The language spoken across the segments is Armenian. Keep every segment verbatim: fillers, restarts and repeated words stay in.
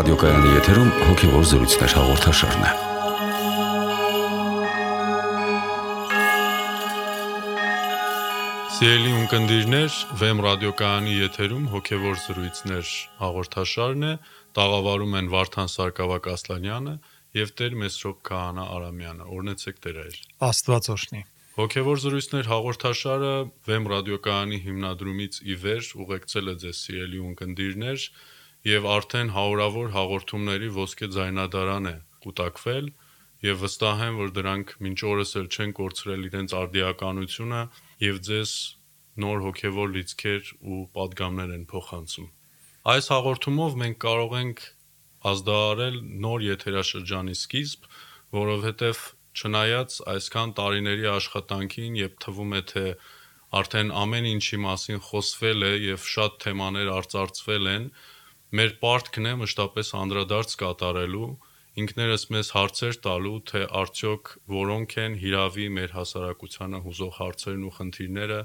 ռադիոկայանի եթերում հոգևոր զրույցներ հաղորդաշարն է։ Սիրելի ունկնդիրներ, Վեմ ռադիոկայանի եթերում հոգևոր զրույցներ հաղորդաշարն է, տաղավարում են Վարդան Սարգսակ Ասլանյանը եւ Տեր Մեսրոպ Քահանա Արամյանը։ Օրհնեցեք Տեր այր։ Աստված օրհնի։ Հոգևոր զրույցներ հաղորդաշարը Վեմ ռադիոկայանի հիմնադրումից ի վեր ուղեկցել է ձեզ սիրելի ունկնդիրներ եւ արդեն հարյուրավոր հաղորդումների ոսկե ձայնադարան է կուտակվել եւ վստահ եմ, որ դրանք մինչ օրս էլ չեն կորցրել իրենց արդիականությունը եւ ձեզ նոր հոգևոր լիցքեր ու պատգամներ են փոխանցում։ Այս հաղորդումով մենք կարող ենք ազդարարել նոր եթերաշրջանի սկիզբ, որովհետեւ չնայած այսքան տարիների աշխատանքին եւ թվում է թե արդեն ամեն ինչի մասին խոսվել է եւ շատ թեմաներ արծարծվել են, մեր պարտքն է մշտապես անդրադարձ կատարելու, ինքներս մեզ հարցեր տալու, թե արդյոք որոնք են հիրավի մեր հասարակությանը հուզող հարցերն ու խնդիրները,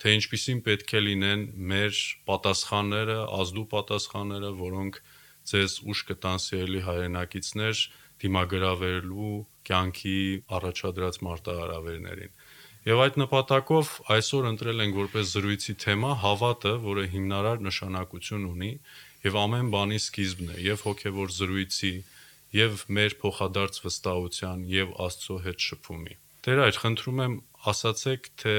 թե ինչպիսին պետք է լինեն մեր պատասխանները, ազդու պատասխանները, որոնք ձեզ ուշ կտան սիրելի հայրենակիցներ դիմագրավելու կյանքի առաջադրած մարտահրավերներին։ Եվ այդ նպատակով այսօր ընտրել ենք որպես զրույցի թեմա հավատը, որը հիմնարար նշանակություն ունի եւ ամեն բանի սկիզբն է, եւ հոգեվոր զրույցի, եւ մեր փոխադարձ վստահության եւ Աստծո հետ շփումի։ Տեր այր, խնդրում եմ ասացեք, թե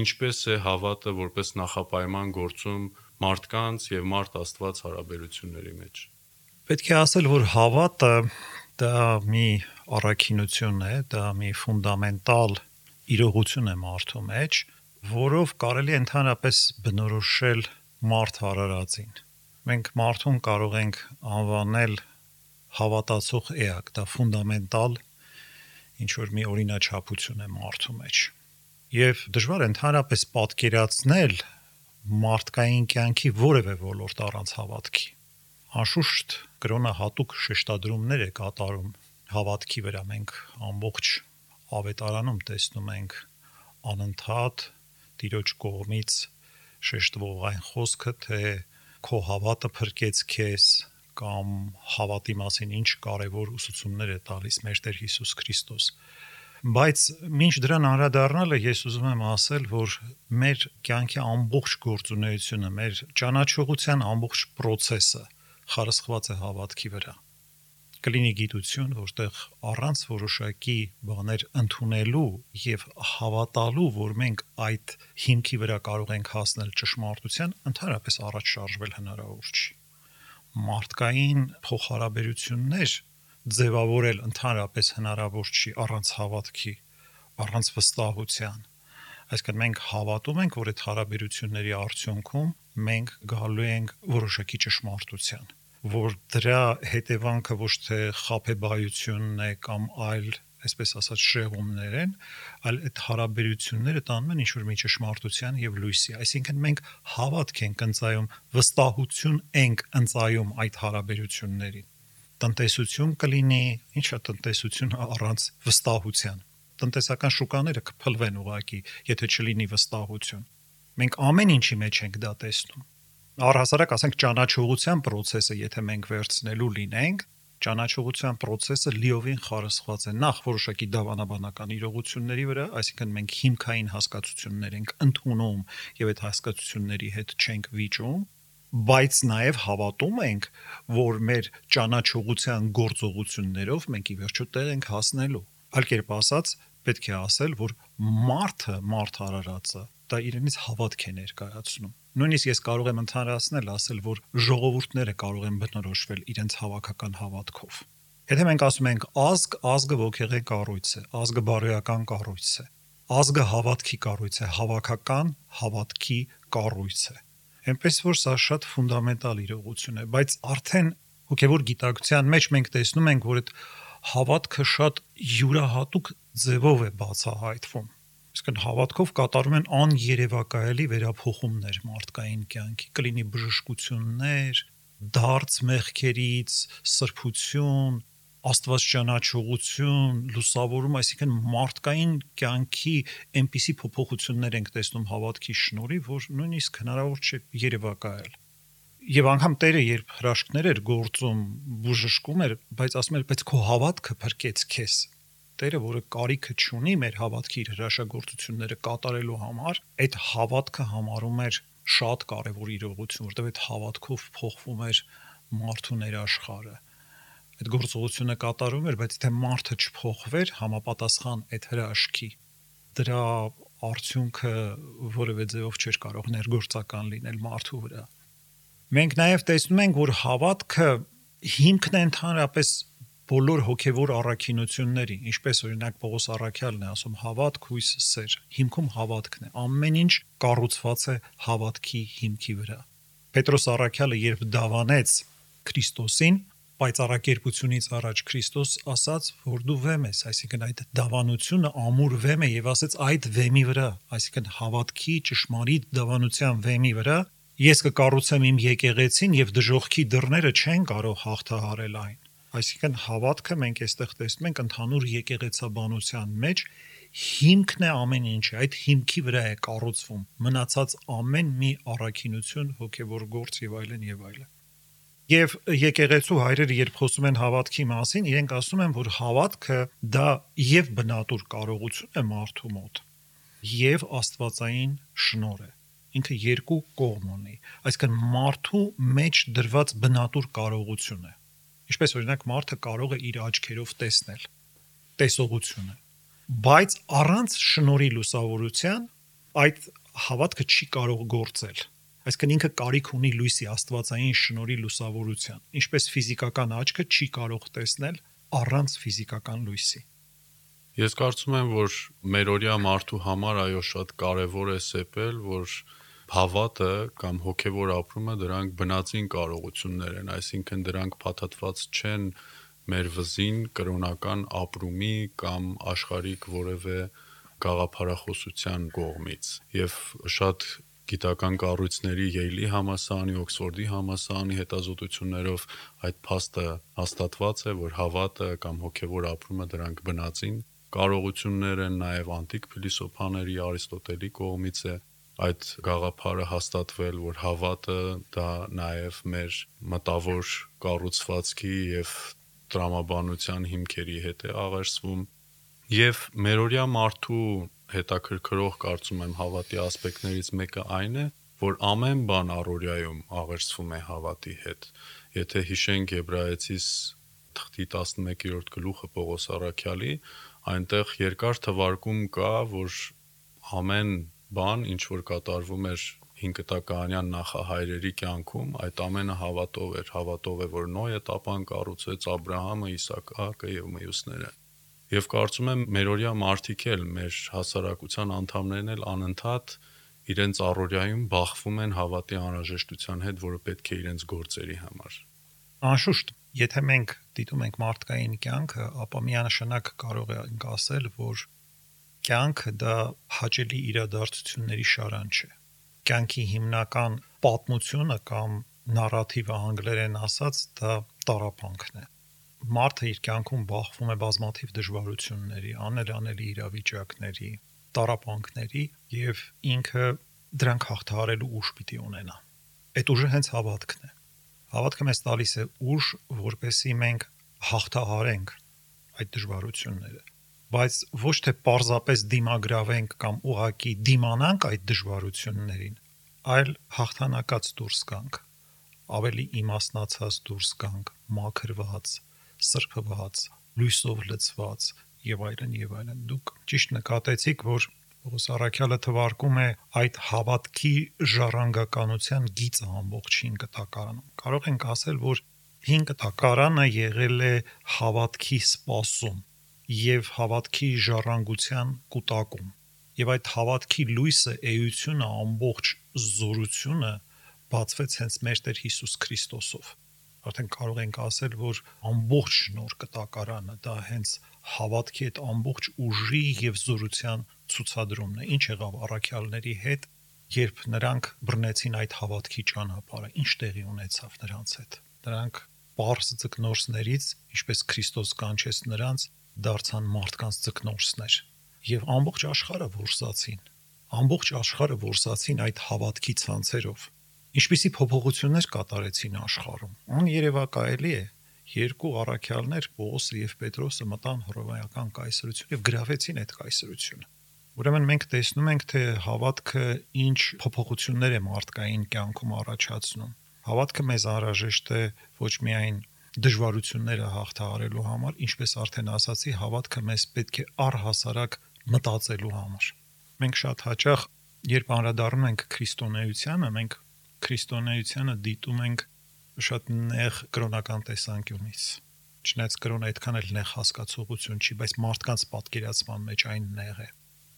ինչպես է հավատը որպես նախապայման գործում մարդկանց եւ մարդ Աստված հարաբերությունների մեջ։ Պետք է ասել, որ հավատը դա մի առաքինություն է, դա մի ֆունդամենտալ իրողություն է մարդու մեջ, որով կարելի է ընդհանրապես բնորոշել մարդ արարածին։ Մենք մարդուն կարող ենք անվանել հավատացող էակ, դա ֆունդամենտալ ինչ որ մի օրինաչափություն է մարդու մեջ։ Եվ դժվար է ընդհանրապես պատկերացնել մարդկային կյանքի որևէ ոլորտ առանց հավատքի։ Անշուշտ կրոնը հատուկ շեշտադրումներ է կատարում հավատքի վրա։ Մենք ամբողջ ավետարանում տեսնում ենք անընդհատ Տիրոջ կողմից շեշտվող այն խոսքը, թե քո հավատը փրկեց քեզ, կամ հավատի մասին ինչ կարևոր ուսուցումներ է տալիս մեր Տեր Հիսուս Քրիստոս։ Բայց մինչ դրան անդրադառնալը ես ուզում եմ ասել, որ մեր կյանքի ամբողջ գործունեությունը, մեր ճանաչողության ամբողջ process-ը խարսխված է հավատքի վրա։ Կլինի գիտություն, որտեղ առանց որոշակի բաներ ընդունելու եւ հավատալու, որ մենք այդ հիմքի վրա կարող ենք հասնել ճշմարտության, ընդհանրապես առաջ շարժվել հնարավոր չի։ Մարդկային փոխհարաբերություններ ձևավորել ընդհանրապես հնարավոր չի առանց հավատքի, առանց վստահության։ Այսինքն մենք հավատում ենք, որ այդ հարաբերությունների արդյունքում մենք գալու ենք որոշակի ճշմարտության, որ դրա հետևանքը ոչ թե խաբեբայությունն է կամ այլ, այսպես ասած, շեղումներ են, այլ այդ հարաբերությունները տանում են ինչ-որ մի ճշմարտության եւ լույսի։ Այսինքն մենք հավատք ենք ընծայում, վստահություն ենք ընծայում այդ հարաբերություններին։ Տնտեսություն կլինի, ինչա տնտեսություն առանց վստահության։ Տնտեսական շուկաները կփլվեն ուղղակի, եթե չլինի վստահություն։ Մենք ամեն ինչի մեջ ենք դա տեսնում։ Առհասարակ ասենք ճանաչողության process-ը, եթե մենք վերցնելու լինենք, ճանաչողության process-ը լիովին խարսխված է նախ որոշակի դավանաբանական իրողությունների վրա, այսինքն մենք հիմքային հասկացություններ ենք ընդունում եւ այդ հասկացությունների հետ չենք վիճում, բայց նաեւ հավատում ենք, որ մեր ճանաչողության գործողություններով մենք ի վերջո տեղ ենք հասնելու։ Այլ կերպ ասած, պետք է ասել, որ մարդը, մարդ արարածը, դա իրենից հավատք է ներկայացնում։ Նույնիսկ ես կարող եմ ընդհանրացնել, ասել, որ ժողովուրդները կարող են բնորոշվել իրենց հավաքական հավատքով։ Եթե մենք ասում ենք ազգ, ազգը ոգեղեն կառույց է, ազգը բարոյական կառույց է, ազգը հավատքի կառույց է, հավաքական հավատքի կառույց է։ Այնպես որ սա շատ ֆունդամենտալ իրողություն է, բայց արդեն հոգևոր գիտակցության մեջ մենք տեսնում ենք, որ այդ հավատքը շատ յուրահատուկ ձևով է բացահայտվում։ Իսկն հավատքով կատարում են աներևակայելի վերափոխումներ մարդկային կյանքի, կլինի բժշկություններ, դարձ մեղքերից, սրբություն, աստվածճանաչողություն, լուսավորում, այսինքն մարդկային կյանքի այնպիսի փոփոխություններ ենք տեսնում հավատքի շնորհիվ, որ նույնիսկ հնարավոր չէ երևակայել։ Եվ անգամ Տերը երբ հրաշքներ էր գործում, բուժշկում էր, բայց ասում էր, բայց քո հավատքը փրկեց քեզ։ Տերը, որը կարիքը չունի մեր հավատքի իր հրաշագործությունները կատարելու համար, այդ հավատքը համարում էր շատ կարևոր իրողություն, որտեղ այդ հավատքով փոխվում էր մարդու ներաշխարը։ Այդ գործողությունը կատարում էր, բայց եթե մարդը չփոխվեր համապատասխան այդ հրաշքի, դրա արդյունքը որևէ ձևով չէր կարող ներգործական լինել մարդու վրա։ Մենք նաև տեսնում ենք, որ հավատքը հիմքն է ընդհանրապես բոլոր հոգևոր առաքինությունների, ինչպես օրինակ Պողոս առաքյալն է ասում, հավատք, հույս, սեր, հիմքում հավատքն է, ամեն ինչ կառուցված է հավատքի հիմքի վրա։ Պետրոս առաքյալը երբ դավանեց Քրիստոսին, պայծառակերպությունից առաջ Քրիստոս ասաց, որ դու վեմ ես, այսինքն այդ դավանությունը ամուր վեմ է եւ ասեց այդ վեմի վրա, այսինքն հավատքի ճշմարիտ դավանության վեմի վրա ես կկառուցեմ իմ եկեղեցին եւ դժոխքի դռները չեն կարող հաղթահարել այն։ Այսինքն հավատքը մենք այստեղ տեսնում ենք ընդհանուր եկեղեցաբանության մեջ հիմքն է ամեն ինչը, այդ հիմքի վրա է կառուցվում մնացած ամեն մի առաքինություն, հոգևոր գործ եւ այլն եւ այլն։ Եվ եկեղեցու հայրերը երբ խոսում են հավատքի մասին, իրենք ասում են, որ հավատքը դա եւ բնատուր կարողություն է մարդու մոտ, եւ աստվածային շնորհ է։ Ինքը երկու կողմ ունի, այսինքն մարդու մեջ դրված բնատուր կարողություն է։ Ինչպես օրինակ մարդը կարող է իր աչքերով տեսնել, տեսողությունը, բայց առանց շնորհի լուսավորության այդ հավատքը չի կարող գործել։ Այսինքն ինքը կարիք ունի լույսի աստվածային շնորհի լուսավորության, ինչպես ֆիզիկական աչքը չի կարող տեսնել առանց ֆիզիկական լույսի։ Ես կարծում եմ, որ մերօրյա մարդու համար այո շատ կարևոր է սեպել, որ հավատը կամ հոգևոր ապրումը դրանք բնածին կարողություններ են, այսինքն դրանք փաթաթված չեն մեր վզին կրոնական ապրումի կամ աշխարհիկ որևէ գաղափարախոսության կողմից։ Եվ շատ գիտական կառույցների Յեյլի համալսարանի, Օքսֆորդի համալսարանի հետազոտություններով այդ փաստը հաստատված է, որ հավատը կամ հոգևոր ապրումը դրանք բնածին կարողություններ են, նաև անտիկ փիլիսոփաների Արիստոտելի կողմից է այդ գաղափարը հաստատվել, որ հավատը դա նաև մեր մտավոր կառուցվածքի եւ տրամաբանության հիմքերի հետ է աղերսվում եւ մերօրյա մարդու հետաքրքրող կարծում եմ հավատի ասպեկտներից մեկը այն է, որ ամեն բան առօրյայում աղերսվում է հավատի հետ։ Եթե հիշենք Եբրայեցիս թղթի տասնմեկերորդ գլուխը Պողոս առաքյալի, այնտեղ երկար թվարկում կա, որ ամեն բան, ինչ որ կատարվում էր հինկտականյան նախահայրերի կյանքում, այդ ամենը հավատով էր, հավատով է, որ Նոյը տապան կառուցեց, Աբրահամը, Իսակը եւ մյուսները։ Եվ կարծում եմ մերօրյա մարդիկ էլ, մեր հասարակության անդամներն էլ անընդհատ իրենց առօրյայում բախվում են հավատի անհրաժեշտության հետ, որը պետք է իրենց գործերի համար։ Անշուշտ, եթե մենք դիտում ենք մարդկային կյանքը, ապա միանշանակ կարող ենք ասել, որ կյանքը դա հաճելի իրադարձությունների շարան չէ։ Կյանքի հիմնական պատմությունը կամ նարատիվը անգլերեն ասած դա տառապանքն է։ Մարդը իր կյանքում բախվում է բազմաթիվ դժվարությունների, անելանելի իրավիճակների, տառապանքների եւ ինքը դրանք հաղթահարելու ուժ պիտի ունենա։ Այդ ուժը հենց հավատքն է։ Հավատքը մեզ տալիս է ուժ, որպեսզի մենք հաղթահարենք այդ դժվարությունները, բայց ոչ թե պարզապես դիմագրավենք կամ ուղակի դիմանանք այդ դժվարություններին, այլ հաղթանակած դուրս գանք, ավելի իմաստնացած դուրս գանք, մաքրված, սրբված, լույսով լցված եւ այլն եւ այլն։ Դուք ճիշտ նկատեցիք, որ Պողոս առաքյալը թվարկում է այդ հավատքի ժառանգականության գիծը ամբողջ հին կտակարանում։ Կարող ենք ասել, որ հին կտակարանը եղել է հավատքի սպասում եւ հավատքի ժառանգության կուտակում։ Եվ այդ հավատքի լույսը, էությունը, ամբողջ զորությունը բացվեց հենց մեր Տեր Հիսուս Քրիստոսով։ Արդեն կարող ենք ասել, որ ամբողջ նոր կտակարանը դա հենց հավատքի այդ ամբողջ ուժի եւ զորության ցուցադրումն է։ Ինչ եղավ առաքյալների հետ, երբ նրանք բռնեցին այդ հավատքի ճանապարհը, ինչ տեղի ունեցավ նրանց հետ։ Նրանք պարզ ձկնորսներից, ինչպես Քրիստոս կանչեց նրանց, դարձան մարդկանց ձկնորսներ եւ ամբողջ աշխարհը որսացին։ Ամբողջ աշխարհը որսացին այդ հավատքի ցանցերով։ Ինչպիսի փոփոխություններ կատարեցին աշխարհում։ Աներևակայելի է, երկու առաքյալներ Պողոսը եւ Պետրոսը մտան հռոմեական կայսրություն եւ գրավեցին այդ կայսրությունը։ Ուրեմն մենք տեսնում ենք, թե հավատքը ինչ փոփոխություններ է մարդկային կյանքում առաջացնում։ Հավատքը մեզ անհրաժեշտ է ոչ միայն դժվարությունները հաղթահարելու համար, ինչպես արդեն ասացի, հավատքը մեզ պետք է առհասարակ մտածելու համար։ Մենք շատ հաճախ, երբ անդրադառնում ենք քրիստոնեությանը, մենք քրիստոնեությանը դիտում ենք շատ նեղ կրոնական տեսանկյունից։ Չնայած կրոնը այդքան էլ նեղ հասկացողություն չի, բայց մարդկանց պատկերացման մեջ այն նեղ է։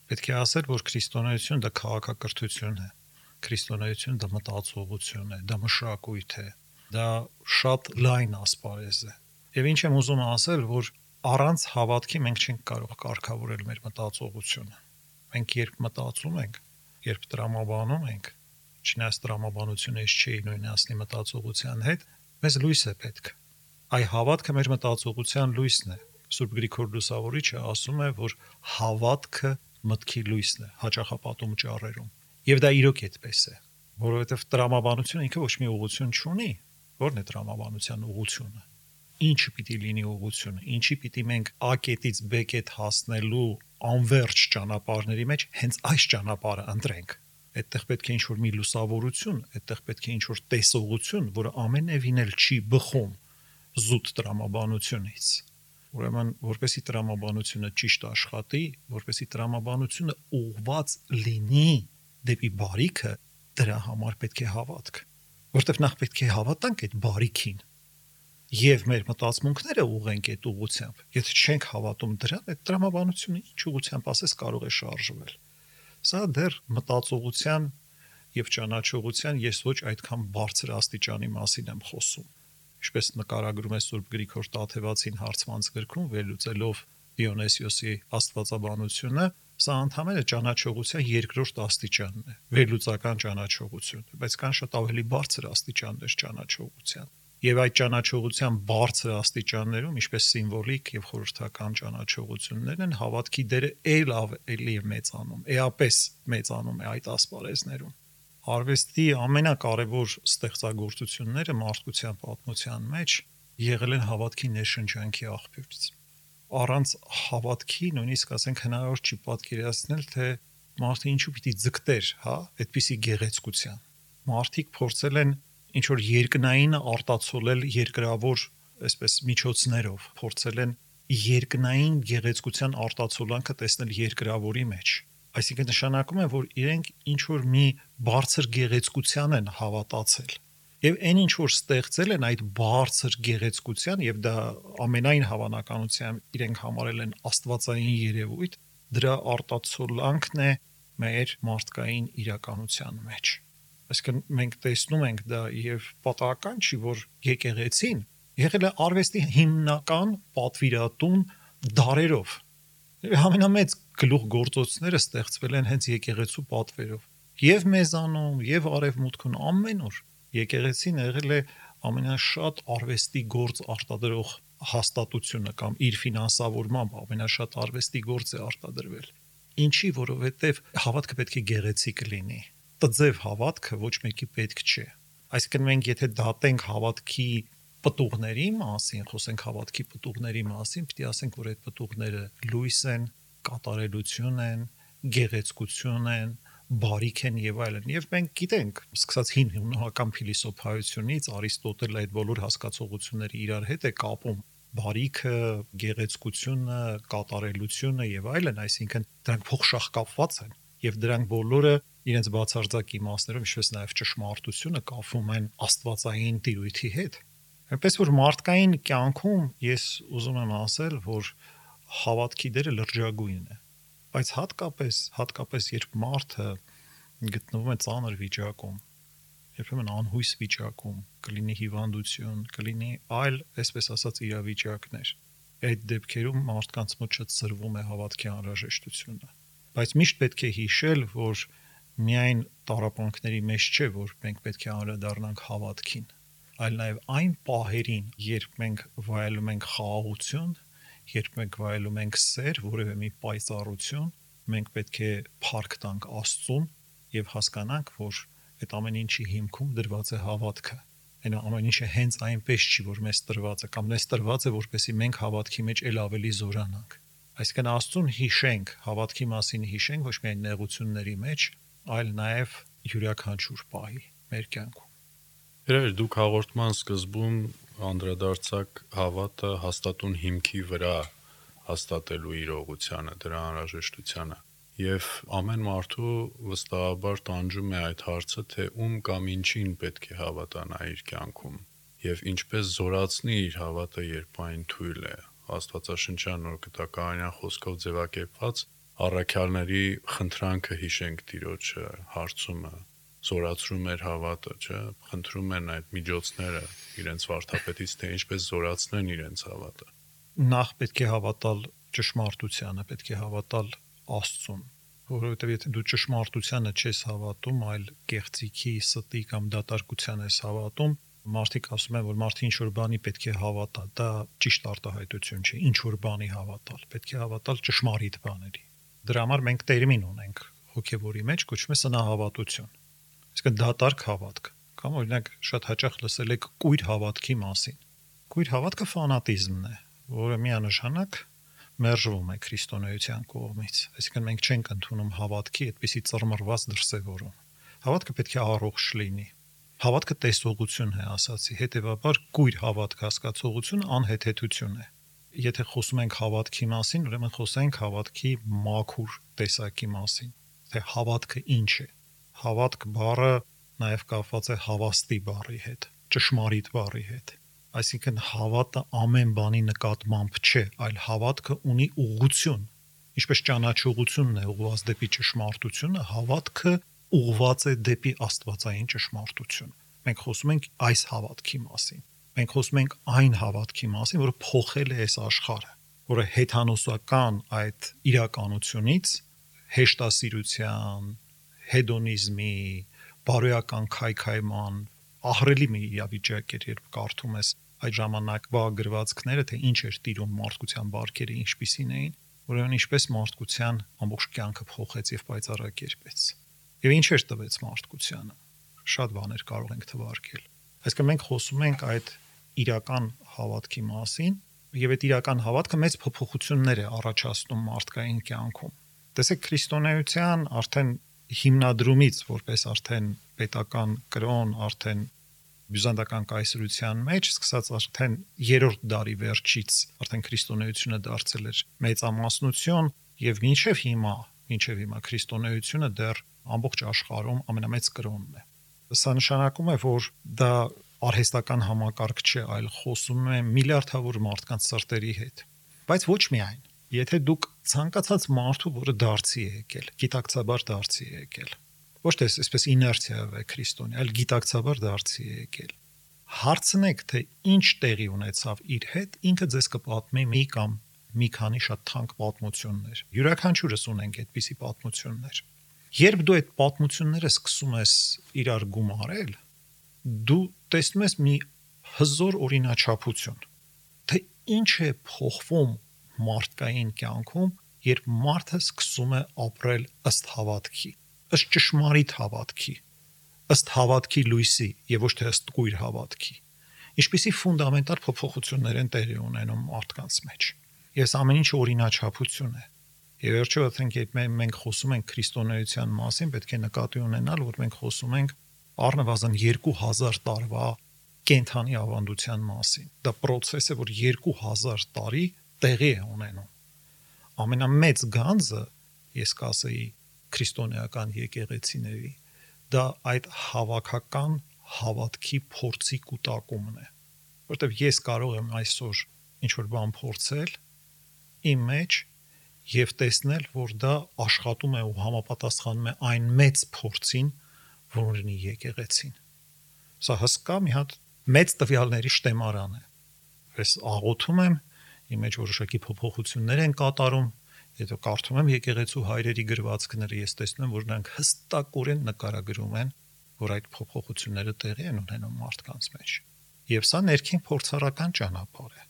Պետք է ասել, որ քրիստոնեությունը դա քաղաքակրթություն է, քրիստոնեությունը դա մտածողություն է, դա մշակույթ է, դա շատ լայն ասպարեզ է։ Եվ ինչ եմ ուզում ասել, որ առանց հավատքի մենք չենք կարող կարգավորել մեր մտածողությունը։ Մենք երբ մտածում ենք, երբ տրամաբանում ենք, չնայած տրամաբանությունը չի նույնացնի մտածողության հետ, մեզ լույս է պետք։ Այ հավատքը մեր մտածողության լույսն է։ Սուրբ Գրիգոր Լուսավորիչը ասում է, որ հավատքը մտքի լույսն է հաճախապատում ճառերում։ Եվ դա իրոք այդպես է, որովհետև տրամաբանությունը ինքը ոչ մի ուղղություն չունի։ Ո՞րն է տրամաբանության ուղղությունը։ Ինչը պիտի լինի ուղղությունը, ինչի պիտի մենք A կետից B կետ հասնելու անverջ ճանապարհների մեջ հենց այս ճանապարհը ընտրենք։ Այդտեղ պետք է ինչ-որ մի լուսավորություն, այդտեղ պետք է ինչ-որ տեսողություն, որը ամենևին էլ չի բխում զուտ տրամաբանությունից։ Ուրեմն, որպեսի տրամաբանությունը ճիշտ աշխատի, որպեսի տրամաբանությունը ուղղված լինի դեպի բարիքը, դրա համար պետք է հավատք, որտեղ նախ պետք է հավատանք այդ բարիքին եւ մեր մտածմունքները ուղենք այդ ուղղությամբ։ Եթե չենք հավատում դրան, այդ տրամաբանությունը ինչ ուղղությամբ ասես կարող է շարժվել։ Սա դեռ մտածողության եւ ճանաչողության ես ոչ այդքան բարձր աստիճանի մասին եմ խոսում։ Ինչպես նկարագրում է Սուրբ Գրիգոր Տաթևացին հարցմանց գրքում, վերլուծելով Դիոնեսիոսի աստվածաբանությունը, սա ընդհանրապես ճանաչողության երկրորդ աստիճանն է, վերլուծական ճանաչողություն, բայց կան շատ ավելի բարձր աստիճաններ ճանաչողության։ Եվ այդ ճանաչողության բարձր աստիճաններում, ինչպես սիմվոլիկ եւ խորհրդական ճանաչողություններն են, հավատքի դերը ել ավելի է մեծանում, էապես մեծանում է այդ ասպարեզներում։ Արվեստի ամենակարևոր ստեղծագործությունները մարդկության պատմության մեջ եղել են հավատքի ներշնչանքի աղբյուրից։ Առանց հավատքի նույնիսկ ասենք հնարավոր չի պատկերացնել, թե մարդը ինչու պիտի ձգտեր, հա, այդպիսի գեղեցկության։ Մարդիկ փորձել են ինչ որ երկնային արտացոլել երկրավոր, այսպես միջոցներով, փորձել են երկնային գեղեցկության արտացոլանքը տեսնել երկրավորի մեջ։ Այսինքն նշանակում է, որ իրենք ինչ որ մի բարձր գեղեցկության են հավատացել։ Եվ այն ինչ որ ստեղծել են այդ բարձր գեղեցկության, եւ դա ամենայն հավանականությամբ իրենք համարել են աստվածային երևույթ, դրա արտացոլանքն է մեր մարդկային իրականության մեջ։ Այսինքն մենք տեսնում ենք դա եւ պատահական չի, որ եկեղեցին եղել է արվեստի հիմնական պատվիրատուն դարերով։ Ամենամեծ գլուխգործոցները ստեղծվել են հենց եկեղեցու պատվերով։ Եվ մեզանում, եւ արևմուտքում ամենուր եկեղեցին եղել է ամենաշատ արվեստի գործ արտադրող հաստատությունը կամ իր ֆինանսավորմամբ ամենաշատ արվեստի գործ է արտադրվել։ Ինչի, որովհետեւ հավատքը պետք է գեղեցիկ լինի։ Տձև հավատքը ոչ մեկի պետք չէ։ Այսինքն մենք եթե դատենք հավատքի պտուղների մասին, խոսենք հավատքի պտուղների մասին, պիտի ասենք, որ այդ պտուղները լույս են, կատարելություն են, գեղեցկություն են, բարիք են եւ այլն։ Եվ մենք գիտենք, սկսած հին հունական փիլիսոփայությունից Արիստոտելը այդ բոլոր հասկացողությունները իրար հետ է կապում։ Բարիքը, գեղեցկությունը, կատարելությունը եւ այլն, այսինքն դրանք փոխշահկապված են եւ դրանք բոլորը իրենց բացարձակ իմաստներով, ինչպես նաեւ ճշմարտությունը կապվում են աստվածային տիրույթի հետ։ Այնպես որ մարդկային կյանքում ես ուզում եմ ասել, որ հավատքի դերը լրջագույն է, բայց հատկապես, հատկապես երբ մարդը գտնվում է ծանր վիճակում, երբեմն անհույս վիճակում, կլինի հիվանդություն, կլինի այլ, այսպես ասած, իրավիճակներ։ Այդ դեպքերում մարդկանց մոտ շատ սրվում է հավատքի անհրաժեշտությունը։ Բայց միշտ պետք է հիշել, որ միայն տառապանքների մեջ չէ, որ մենք պետք է անդրադառնանք հավատքին, այլ նաև այն պահերին, երբ մենք վայելում ենք խաղաղություն, երբ մենք վայելում ենք սեր, որևէ մի պայծառություն, մենք պետք է փառք տանք Աստծուն եւ հասկանանք, որ այդ ամեն ինչի հիմքում դրված է հավատքը։ Այն ամեն ինչը հենց այնպես չի, որ մեզ տրված է, կամ մեզ տրված է, որպեսզի մենք հավատքի մեջ ել ավելի զորանանք։ Այսինքն Աստծուն հիշենք, հավատքի մասին հիշենք ոչ միայն նեղությունների մեջ, այլ նաև յուրաքանչյուր պահի մեր կյանքում։ Երևի դուք հաղորդման սկզբում անդրադարձակ հավատը հաստատուն հիմքի վրա հաստատելու իրողությանը, դրա անհրաժեշտությանը։ Եվ ամեն մարդու վստահաբար տանջում է այդ հարցը, թե ում կամ ինչին պետք է հավատանա իր կյանքում եւ ինչպես զորացնի իր հավատը, երբ այն թույլ է։ Աստվածաշնչյան նոր գտակարանյան խոսքով ձևակերպված առաքյալների խնդրանքը հիշենք Տիրոջը, հարցումը զորացրում էր հավատը, չէ՞, խնդրում են այդ միջոցները իրենց վարդապետից, թե ինչպես զորացնեն իրենց հավատը։ Նախ պետք է հավատալ ճշմարտությանը, պետք է հավատալ Աստծուն, որովհետև եթե դու ճշմարտությանը չես հավատում, այլ կեղծիքի, ստի կամ դատարկության ես հավատում, մարդիկ ասում են, որ մարդը ինչ որ բանի պետք է հավատա, դա ճիշտ արտահայտություն չէ, ինչ որ բանի հավատալ, պետք է հավատալ ճշմարիտ բաների։ Դրա համար մենք տերմին ունենք հոգևորի մեջ, կոչվում է սնահավատություն։ Այսինքն դատարկ հավատք, կամ օրինակ շատ հաճախ լսել եք կույր հավատքի մասին։ Կույր հավատքը ֆանատիզմն է, որը միանշանակ մերժվում է քրիստոնեության կողմից։ Այսինքն մենք չենք ընդունում հավատքի այդպիսի ծռմռված դրսևորում։ Հավատքը պետք է առողջ լինի։ Հավատքը տեսողություն է, ասացի, հետևաբար կույր հավատք հասկացողությունը անհեթեթություն է։ Եթե խոսում ենք հավատքի մասին, ուրեմն խոսենք հավատքի մաքուր տեսակի մասին, թե հավատքը ինչ է։ Հավատք բառը նաև կապված է հավաստի բառի հետ, ճշմարիտ բառի հետ։ Այսինքն հավատը ամեն բանի նկատմամբ չէ, այլ հավատքը ունի ուղղություն։ Ինչպես ճանաչողությունն է ուղղված դեպի ճշմարտությունը, հավատքը ուղղված է դեպի աստվածային ճշմարտություն։ Մենք խոսում ենք այս հավատքի մասին։ Մենք խոսում ենք այն հավատքի մասին, որը փոխել է այս աշխարհը, որը հեթանոսական այդ իրականությունից հեշտասիրության, հեդոնիզմի, բարոյական քայքայման ահռելի մի իրավիճակ էր, երբ կարդում ես այդ ժամանակվա գրվածքները, թե ինչ էր տիրում մարդկության բարքերը, ինչպիսին էին, ուրեմն ինչպես մարդկության ամբողջ կյանքը փոխեց եւ պայծառակերպեց։ Եվ ինչ էր տվեց մարդկությանը։ Շատ բաներ կարող ենք թվարկել։ Այսինքն մենք խոսում ենք այդ իրական հավատքի մասին, եւ այդ իրական հավատքը մեծ փոփոխություններ է առաջացնում մարդկային կյանքում։ Տեսեք, քրիստոնեության արդեն հիմնադրումից, որպես արդեն պետական կրոն, արդեն բյուզանդական կայսրության մեջ, սկսած արդեն երրորդ դարի վերջից, արդեն քրիստոնեությունը դարձել էր մեծամասնություն եւ մինչեւ հիմա, մինչեւ հիմա քրիստոնեությունը դեռ ամբողջ աշխարհում ամենամեծ կրոնն է։ Սա նշանակում է, որ դա արհեստական համակարգ չէ, այլ խոսում է միլիարդավոր մարդկանց սրտերի հետ։ Բայց ոչ միայն, եթե դուք ցանկացած մարդու, որը դարձի է եկել, գիտակցաբար դարձի է եկել, ոչ թե այսպես իներցիայով է քրիստոնյա, այլ գիտակցաբար դարձի է եկել, հարցնեք, թե ինչ տեղի ունեցավ իր հետ, ինքը ձեզ կպատմի մի կամ մի քանի շատ թանկ պատմություններ։ Յուրաքանչյուրս ունենք այդպիսի պատմություններ։ Երբ դու այդ պատմությունները սկսում ես իրար գումարել, դու տեսնում ես մի հզոր օրինաչափություն, թե ինչ է փոխվում մարդկային կյանքում, երբ մարդը սկսում է ապրել ըստ հավատքի, ըստ ճշմարիտ հավատքի, ըստ հավատքի լույսի եւ ոչ թե ըստ կույր հավատքի։ Ինչպիսի ֆունդամենտալ փոփոխություններ են տեղի ունենում մարդկանց մեջ։ Ես ամեն ինչ օրինաչափություն է։ Եվ վերջո ասենք, երբ մենք խոսում ենք քրիստոնեության մասին, պետք է նկատի ունենալ, որ մենք խոսում ենք առնվազն երկու հազար տարվա կենթանի ավանդության մասին։ Դա process է, որ երկու հազար տարի տեղի է ունենում։ Ամենամեծ գանձը, ես կասեի, քրիստոնեական եկեղեցիների, դա այդ հավաքական հավատքի փորձի կուտակումն է։ Որտեւ ես կարող եմ այսօր ինչ-որ բան փորձել իմ մեջ եւ տեսնել, որ դա աշխատում է ու համապատասխանում է այն մեծ փորձին, որ ունի եկեղեցին։ Սա հսկա մի հատ մեծ տվյալների շտեմարան է։ Ես աղոթում եմ, իմ մեջ որոշակի փոփոխություններ են կատարում, եթե կարդում եմ եկեղեցու հայրերի գրվածքները, ես տեսնում եմ, որ նրանք հստակորեն նկարագրում են, որ այդ փոփոխությունները տեղի են ունենում մարդկանց մեջ։ Եվ սա ներքին փորձառական ճանապարհ է։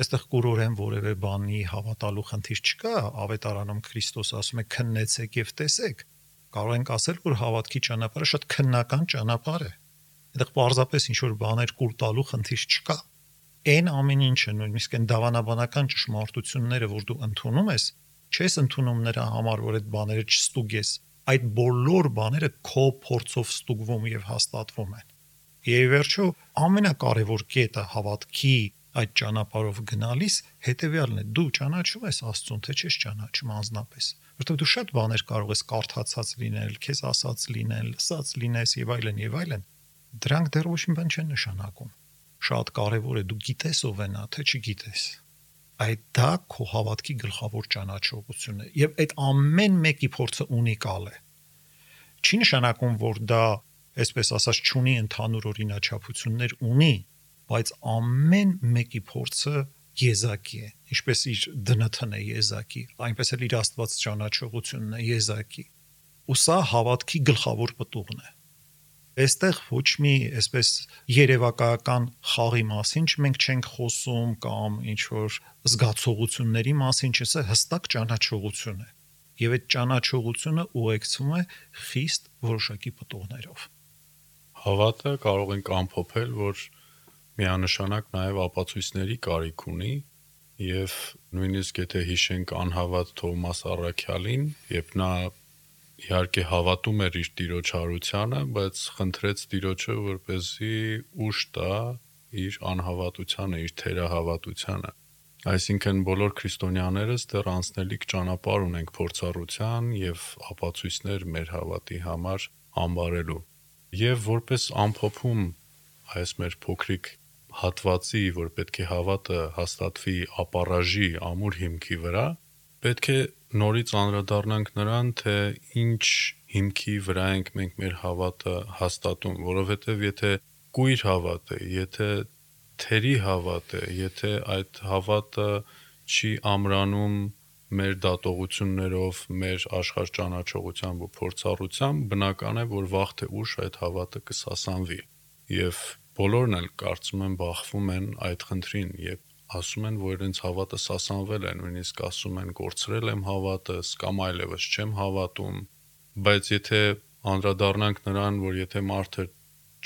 Այստեղ կուրորեն որևէ բանի հավատալու խնդիր չկա, ավետարանում Քրիստոս ասում է քննեցեք եւ տեսեք, Կարող ենք ասել, որ հավատքի ճանապարհը շատ քննական ճանապարհ է։ Այդտեղ պարզապես ինչ-որ բաներ կուլ տալու խնդիր չկա։ Այն ամեն ինչը, նույնիսկ այն դավանաբանական ճշմարտությունները, որ դու ընդունում ես, չես ընդունում նրա համար, որ այդ բաները չստուգես։ Այդ բոլոր բաները քո փորձով ստուգվում եւ հաստատվում են։ Եվ վերջո ամենակարևոր կետը հավատքի այդ ճանապարհով գնալիս հետեւյալն է. դու ճանաչում ես Աստծուն, թե չես ճանաչում անձնապես, որովհետեւ դու շատ բաներ կարող ես կարդացած լինել, քեզ ասած լինել, լսած լինես եւ այլն եւ այլն։ Դրանք դեռ ոչ մի բան չեն նշանակում։ Շատ կարևոր է դու գիտես ով է նա, թե չգիտես։ Այդ դա քո հավատքի գլխավոր ճանաչողությունն է եւ այդ ամեն մեկի փորձը ունիկալ է։ Չի նշանակում, որ դա, այսպես ասած, չունի ընդհանուր օրինաչափություններ, ունի, բայց ամեն մեկի փորձը եզակի է, ինչպես իր դն թն է եզակի, այնպես էլ իր Աստված ճանաչողությունն է եզակի։ Ու սա հավատքի գլխավոր պտուղն է։ Այստեղ ոչ մի այսպես երևակայական խաղի մասին մենք չենք խոսում կամ ինչ որ զգացողությունների մասին, չէ՞, հստակ ճանաչողություն է։ Եվ այդ ճանաչողությունը ուղեկցվում է խիստ որոշակի պտուղներով։ Հավատը կարող ենք ամփոփել, որ միանշանակ նաև ապացույցների կարիք ունի, եւ նույնիսկ եթե հիշենք անհավատ Թովմաս Առաքյալին, երբ նա իհարկե հավատում էր իր Տիրոջ հարությանը, բայց խնդրեց Տիրոջը, որպեսզի ուժ տա իր անհավատությանը, իր թերահավատությանը։ Այսինքն բոլոր քրիստոնյաներս դեռ անցնելիք ճանապարհ ունենք փորձառության եւ ապացույցներ մեր հավատի համար ամբարելու։ Եվ որպես ամփոփում այս մեր փոքրիկ հատվածի, որ պետք է հավատը հաստատվի ապառաժի ամուր հիմքի վրա, պետք է նորից անդրադառնանք նրան, թե ինչ հիմքի վրա ենք մենք մեր հավատը հաստատում, որովհետև եթե կույր հավատ է, եթե թերի հավատ է, եթե այդ հավատը չի ամրանում մեր դատողություններով, մեր աշխարհճանաչողությամբ ու փորձառությամբ, բնական է, որ վաղ թե ուշ այդ հավատը կսասանվի։ Եվ բոլորն էլ կարծում եմ բախվում են այդ խնդրին, երբ ասում են, որ իրենց հավատը սասանվել է, նույնիսկ ասում են կորցրել եմ հավատս կամ այլևս չեմ հավատում, բայց եթե անդրադառնանք նրան, որ եթե մարդը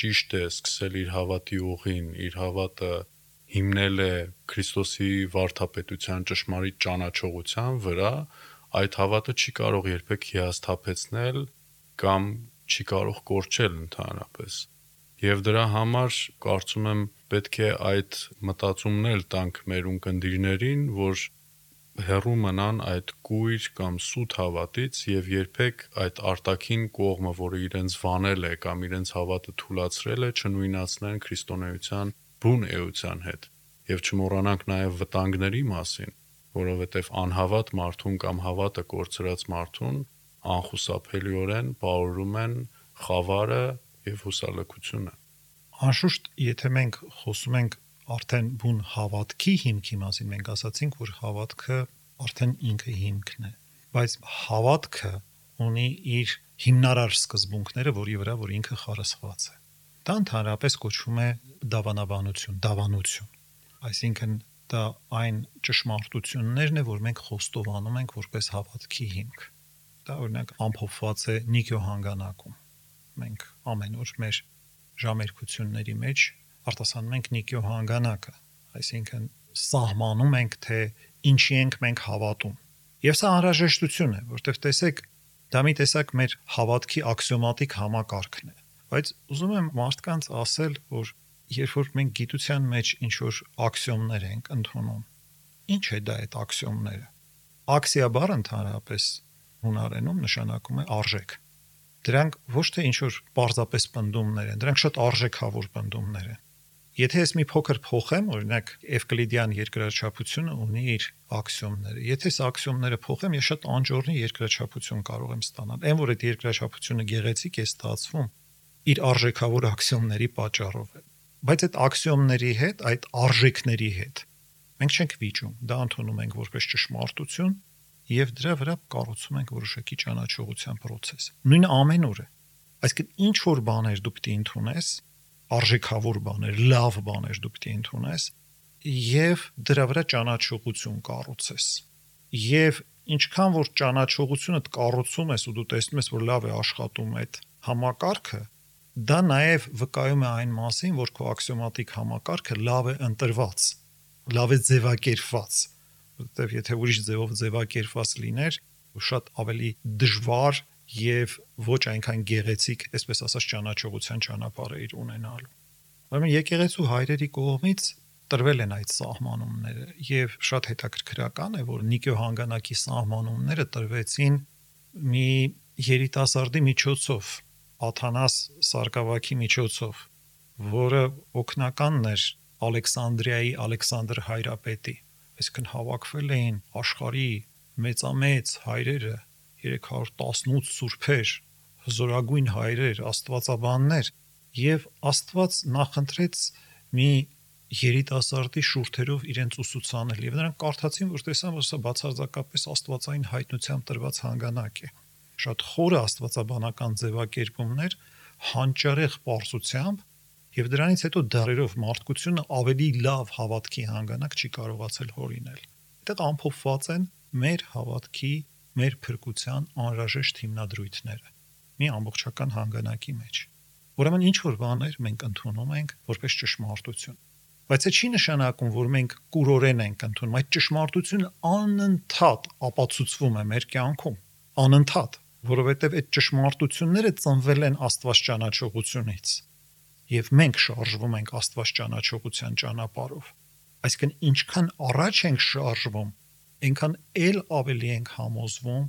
ճիշտ է սկսել իր հավատի ուղին, իր հավատը հիմնել է Քրիստոսի վարդապետության ճշմարիտ ճանաչողության վրա, այդ հավատը չի կարող երբեք հիասթափեցնել կամ չի կարող կորչել ընդհանրապես։ Եվ դրա համար կարծում եմ պետք է այդ մտածումն էլ տանք մեր ունկնդիրներին, որ հեռու մնան այդ կույր կամ սուտ հավատից եւ երբեք այդ արտաքին կողմը, որը իրենց վանել է կամ իրենց հավատը թուլացրել է, չնույնացնեն քրիստոնեության բուն էության հետ։ Եվ չմոռանանք նաեւ վտանգների մասին, որովհետեւ անհավատ մարդուն կամ հավատը կորցրած մարդուն անխուսափելիորեն պարուրում են խավարը եւ հուսալքությունը։ Անշուշտ, եթե մենք խոսում ենք արդեն բուն հավատքի հիմքի մասին, մենք ասացինք, որ հավատքը արդեն ինքը հիմքն է, բայց հավատքը ունի իր հիմնարար սկզբունքները, որի վրա որ ինքը խարսխված է։ Դա ընդհանրապես կոչվում է դավանաբանություն, դավանություն։ Այսինքն դա այն ճշմարտություններն է, որ մենք խոստովանում ենք որպես հավատքի հիմք։ Դա օրինակ ամփոփված է Նիկիո հանգանակում։ Մենք ամեն օր մեր ժամերկությունների մեջ արտասանում ենք Նիկիո հանգանակը, այսինքն սահմանում ենք, թե ինչի ենք մենք հավատում։ Եվ սա անհրաժեշտություն է, որտեղ տեսեք, դա մի տեսակ մեր հավատքի աքսիոմատիկ համակարգն է։ Բայց ուզում եմ մարդկանց ասել, որ երբ որ մենք գիտության մեջ ինչ-որ աքսիոմներ ենք ընդունում, ինչ է դա այդ աքսիոմները։ Աքսիա բառը ընդհանրապես հունարենում նշանակում է արժեք։ Դրանք ոչ թե ինչ-որ պարզապես պնդումներ են, դրանք շատ արժեքավոր պնդումներ են։ Եթե ես մի փոքր փոխեմ, օրինակ Էվկլիդյան երկրաչափությունը ունի իր աքսիոմները։ Եթե այս աքսիոմները փոխեմ, ես շատ անջորնի երկրաչափություն կարող եմ ստանալ։ Այն որ այդ երկրաչափությունը գեղեցիկ է ստացվում, իր արժեքավոր աքսիոմների պատճառով է։ Բայց այդ աքսիոմների հետ, այդ արժեքների հետ մենք չենք վիճում, դա ընդունում ենք որպես ճշմարտություն եւ դրա վրա կառուցում ենք որոշակի ճանաչողության process։ Նույնը ամենուրը։ Այսինքն ինչ որ բաներ դու պետք է ընդունես, արժեքավոր բաներ, լավ բաներ դու պետք է ընդունես եւ դրա վրա ճանաչողություն կառուցես։ Եվ ինչքան որ ճանաչողությունը կառուցում ես ու դու տեսնում ես, որ լավ է աշխատում այդ համակարգը, դա նաև վկայում է այն մասին, որ քո աքսիոմատիկ համակարգը լավ է ընտրված, լավ է ձևակերպված, որովհետև եթե ուրիշ ձևով ձևակերպված լիներ, շատ ավելի դժվար եւ ոչ այնքան գեղեցիկ, այսպես ասած, ճանաչողության ճանապարհը իր ունենալու։ Ուրեմն եկեղեցու հայրերի կողմից տրվել են այդ սահմանումները եւ շատ հետաքրքրական է, որ Նիկեո հանգանակի սահմանումները տրվեցին մի երիտասարդի միջոցով, Աթանաս Սարգսակի միջոցով, որը օգնականն էր Ալեքսանդրիայի Ալեքսանդր հայրապետի, այսինքն հավաքվել էին աշխարհի մեծամեծ հայրերը, երեք հարյուր տասնութ սուրբեր, հզորագույն հայրեր, աստվածաբաններ, եւ Աստված նախընտրեց մի երիտասարդի շուրթերով իրենց ուսուցանել եւ նրանք կարդացին, որ տեսան, որ սա բացարձակապես աստվածային հայտնությամբ տրված հանգանակ է։ Շատ խորը աստվածաբանական ձևակերպումներ, հանճարեղ պարզությամբ եւ դրանից հետո դարերով մարդկությունը ավելի լավ հավատքի հանգանակ չի կարողացել հորինել։ Այդտեղ ամփոփված են մեր հավատքի, մեր փրկության անհրաժեշտ հիմնադրույթները մի ամբողջական հանգանակի մեջ։ Ուրեմն ինչ որ բաներ մենք ընդունում ենք որպես ճշմարտություն։ Բայց այդ չի նշանակում, որ մենք կուրորեն ենք ընդունում, այդ ճշմարտությունը անընդհատ ապացուցվում է մեր կյանքում, անընդհատ, որովհետև այդ ճշմարտությունները ծնվել են Աստված ճանաչողությունից, եւ մենք շարժվում ենք Աստված ճանաչողության ճանապարհով։ Այսինքն ինչքան առաջ ենք շարժվում, այնքան ել ավելի ենք համոզվում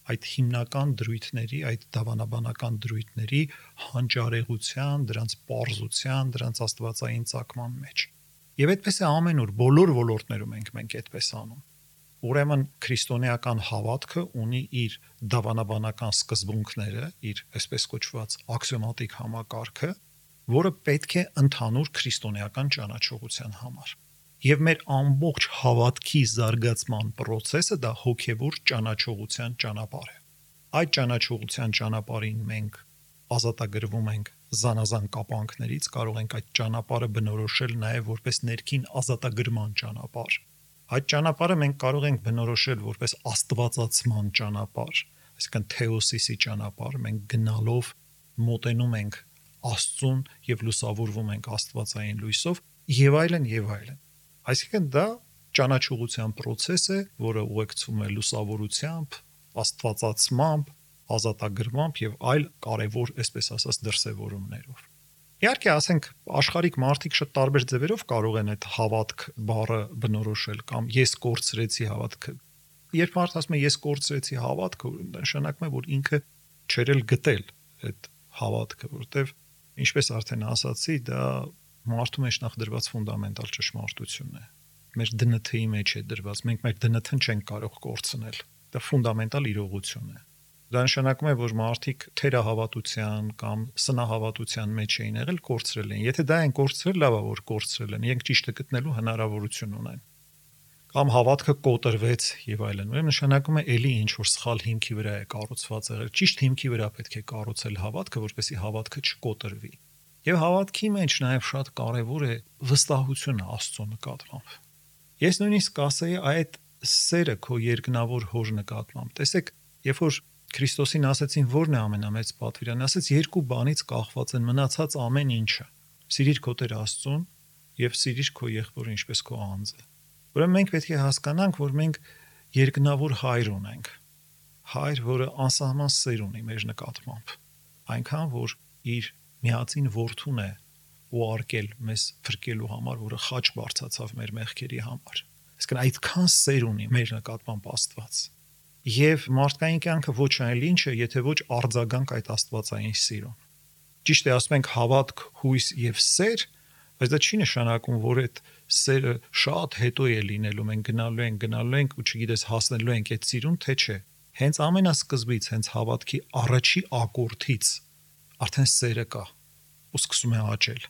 այդ հիմնական դրույթների, այդ դավանաբանական դրույթների հանճարեղության, դրանց պարզության, դրանց աստվածային ծագման մեջ։ Եվ այդպես է ամենուր, բոլոր ոլորտներում ենք մենք այդպես անում։ Ուրեմն քրիստոնեական հավատքը ունի իր դավանաբանական սկզբունքները, իր այսպես կոչված աքսիոմատիկ համակարգը, որը պետք է ընդհանուր քրիստոնեական ճանաչողության համար։ Եվ մեր ամբողջ հավատքի զարգացման process-ը դա հոգևոր ճանաչողության ճանապարհ է։ Այդ ճանաչողության ճանապարհին մենք ազատագրվում ենք զանազան կապանքներից, կարող ենք այդ ճանապարհը բնորոշել նաև որպես ներքին ազատագրման ճանապարհ։ Այդ ճանապարհը մենք կարող ենք բնորոշել որպես աստվածացման ճանապարհ, այսինքն թեոսիսի ճանապարհ, մենք գնալով մոտենում ենք Աստծուն եւ լուսավորվում ենք աստվածային լույսով եւ այլն եւ այլն։ Այսինքն դա ճանաչողության process է, որը ուղեկցվում է լուսավորությամբ, աստվածացմամբ, ազատագրմամբ եւ այլ կարևոր, այսպես ասած, դրսևորումներով։ Իհարկե, ասենք, աշխարհիկ մարդիկ շատ տարբեր ձևերով կարող են այդ հավատք բառը բնորոշել կամ ես կորցրեցի հավատքը։ Երբ մարդը ասում է ես կորցրեցի հավատքը, նշանակում է, որ ինքը չէր էլ գտել այդ հավատքը, որտեվ ինչպես արդեն ասացի, դա մարդու մեջ նախ դրված ֆունդամենտալ ճշմարտություն է։ Մեր դե են թի-ի մեջ է դրված, մենք մեր դե են թին չենք կարող կորցնել։ Դա ֆունդամենտալ իրողություն է։ Դա նշանակում է, որ մարդիկ թերահավատության կամ սնահավատության մեջ էին եղել, կորցրել են։ Եթե դա են կորցրել, լավ է, որ կորցրել են, իրենք ճիշտը գտնելու հնարավորություն ունեն։ Կամ հավատքը կոտրվեց եւ այլն։ Ուրեմն նշանակում է էլի ինչ որ սխալ հիմքի վրա է կառուցված եղել։ Ճիշտ հիմքի վրա պետք է կառուցել հավատքը, որպեսզի հավատքը չկոտրվի։ Եվ հավատքի մեջ նաև շատ կարևոր է վստահությունը Աստծո նկատմամբ։ Ես նույնիսկ կասեի այդ սերը քո երկնավոր հոր նկատմամբ։ Տեսեք, երբ որ Քրիստոսին ասեցին, որն է ամենամեծ պատվիրանը, ասեց երկու բանից կախված են մնացած ամեն ինչը։ Սիրիր քո Տեր Աստծուն եւ սիրիր քո եղբորը ինչպես քո անձը։ Ուրեմն մենք պետք է հասկանանք, որ մենք երկնավոր հայր ունենք։ Հայր, որը անսահման սեր ունի մեր նկատմամբ։ Այնքան, որ իր միածին որդուն է ուղարկել մեզ փրկելու համար, որը խաչ բարձացավ մեր մեղքերի համար։ Այսինքն այդքան սեր ունի մեր նկատմամբ Աստված։ Եվ մարդկային կյանքը ոչ այլ ինչ է, եթե ոչ արձագանք այդ աստվածային սիրուն։ Ճիշտ է, ասում ենք հավատք, հույս եւ սեր, բայց դա չի նշանակում, որ այդ սերը շատ հետո է լինելու, մենք գնալու ենք, գնալու ենք ու չգիտես հասնելու ենք այդ սիրուն, թե չէ։ Հենց ամենասկզբից, հենց հավատքի առաջի ակորդից արդեն սերը կա ու սկսում է աճել։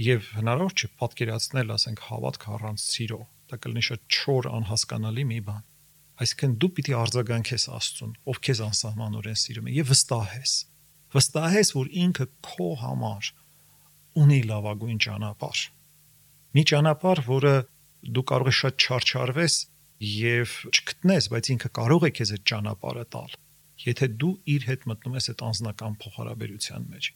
Եվ հնարավոր չէ պատկերացնել, ասենք, հավատք առանց սիրո։ Դա կլինի շատ չոր անհասկանալի մի բան։ Այսինքն դու պիտի արձագանքես Աստծուն, ով քեզ անսահմանորեն սիրում է, եւ վստահես։ Վստահես, որ ինքը քո համար ունի լավագույն ճանապարհ։ Մի ճանապարհ, որը դու կարող ես շատ չարչարվես, եւ չգտնես, բայց ինքը կարող է քեզ այդ ճանապարհը տալ, եթե դու իր հետ մտնում ես այդ անձնական փոխհարաբերության մեջ։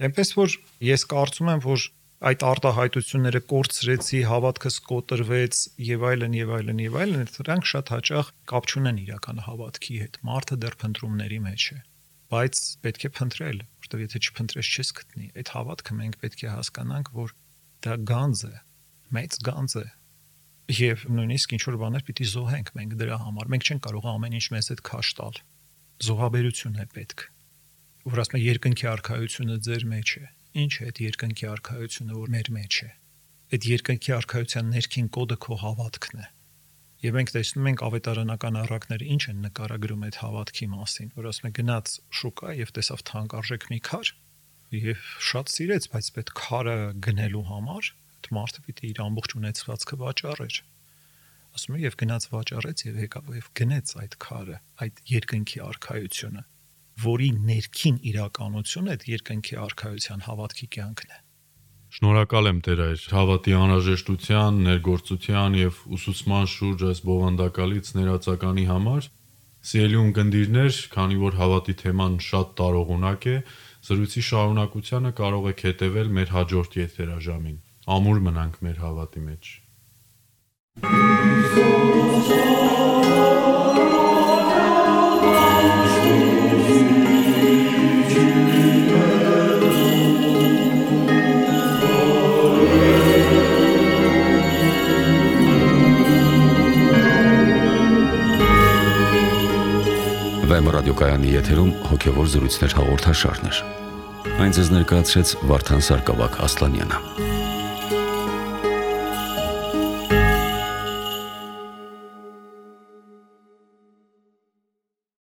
Այնպես որ ես կարծում եմ, որ այդ արտահայտությունները կորցրեցի, հավատքս կոտրվեց եւ այլն եւ այլն եւ այլն, դրանք շատ հաճախ կապ չունեն իրական հավատքի հետ։ Մարդը դեռ փնտրումների մեջ է, բայց պետք է փնտրել, որովհետեւ եթե չփնտրես, չես գտնի։ Այդ հավատքը մենք պետք է հասկանանք, որ դա գանձ է, մեծ գանձ է։ Եվ նույնիսկ ինչ որ բաներ պիտի զոհենք մենք դրա համար։ Մենք չենք կարող ամեն ինչ մեզ հետ քաշ տալ։ Զոհաբերություն է պետք։ Որ ասում է երկնքի արքայությունը ձեր մեջ է։ Ինչ է այդ երկնքի արքայությունը, որ մեր մեջ է։ Այդ երկնքի արքայության ներքին կոդը քո հավատքն է։ Եվ մենք տեսնում ենք ավետարանական առակները ինչ են նկարագրում այդ հավատքի մասին, որ ասում է գնաց շուկա եւ տեսավ թանկարժեք մի քար եւ շատ սիրեց, բայց այդ քարը գնելու համար այդ մարդը պիտի իր ամբողջ ունեցվածքը վաճառեր։ Ասում է եւ գնաց վաճառեց եւ եկավ եւ գնեց այդ քարը, այդ երկնքի արքայությունը, որի ներքին իրականությունը այդ երկնքի արքայության հավատքի կյանքն է։ Շնորհակալ եմ Տեր այր հավատի անհրաժեշտության, ներգործության եւ ուսուցման շուրջ այս բովանդակալից ներածականի համար։ Սիրելի ունկնդիրներ, քանի որ հավատի թեման շատ տարողունակ է, զրույցի շարունակությանը կարող եք հետևել մեր հաջորդ եթերաժամին։ Ամուր մնանք մեր հավատի մեջ։ Վեմ ռադիոկայանի եթերում հոգևոր զրույցներ հաղորդաշարներ։ Այն ձեզ ներկայացրեց Վարդան Սարգսակ Ասլանյանը։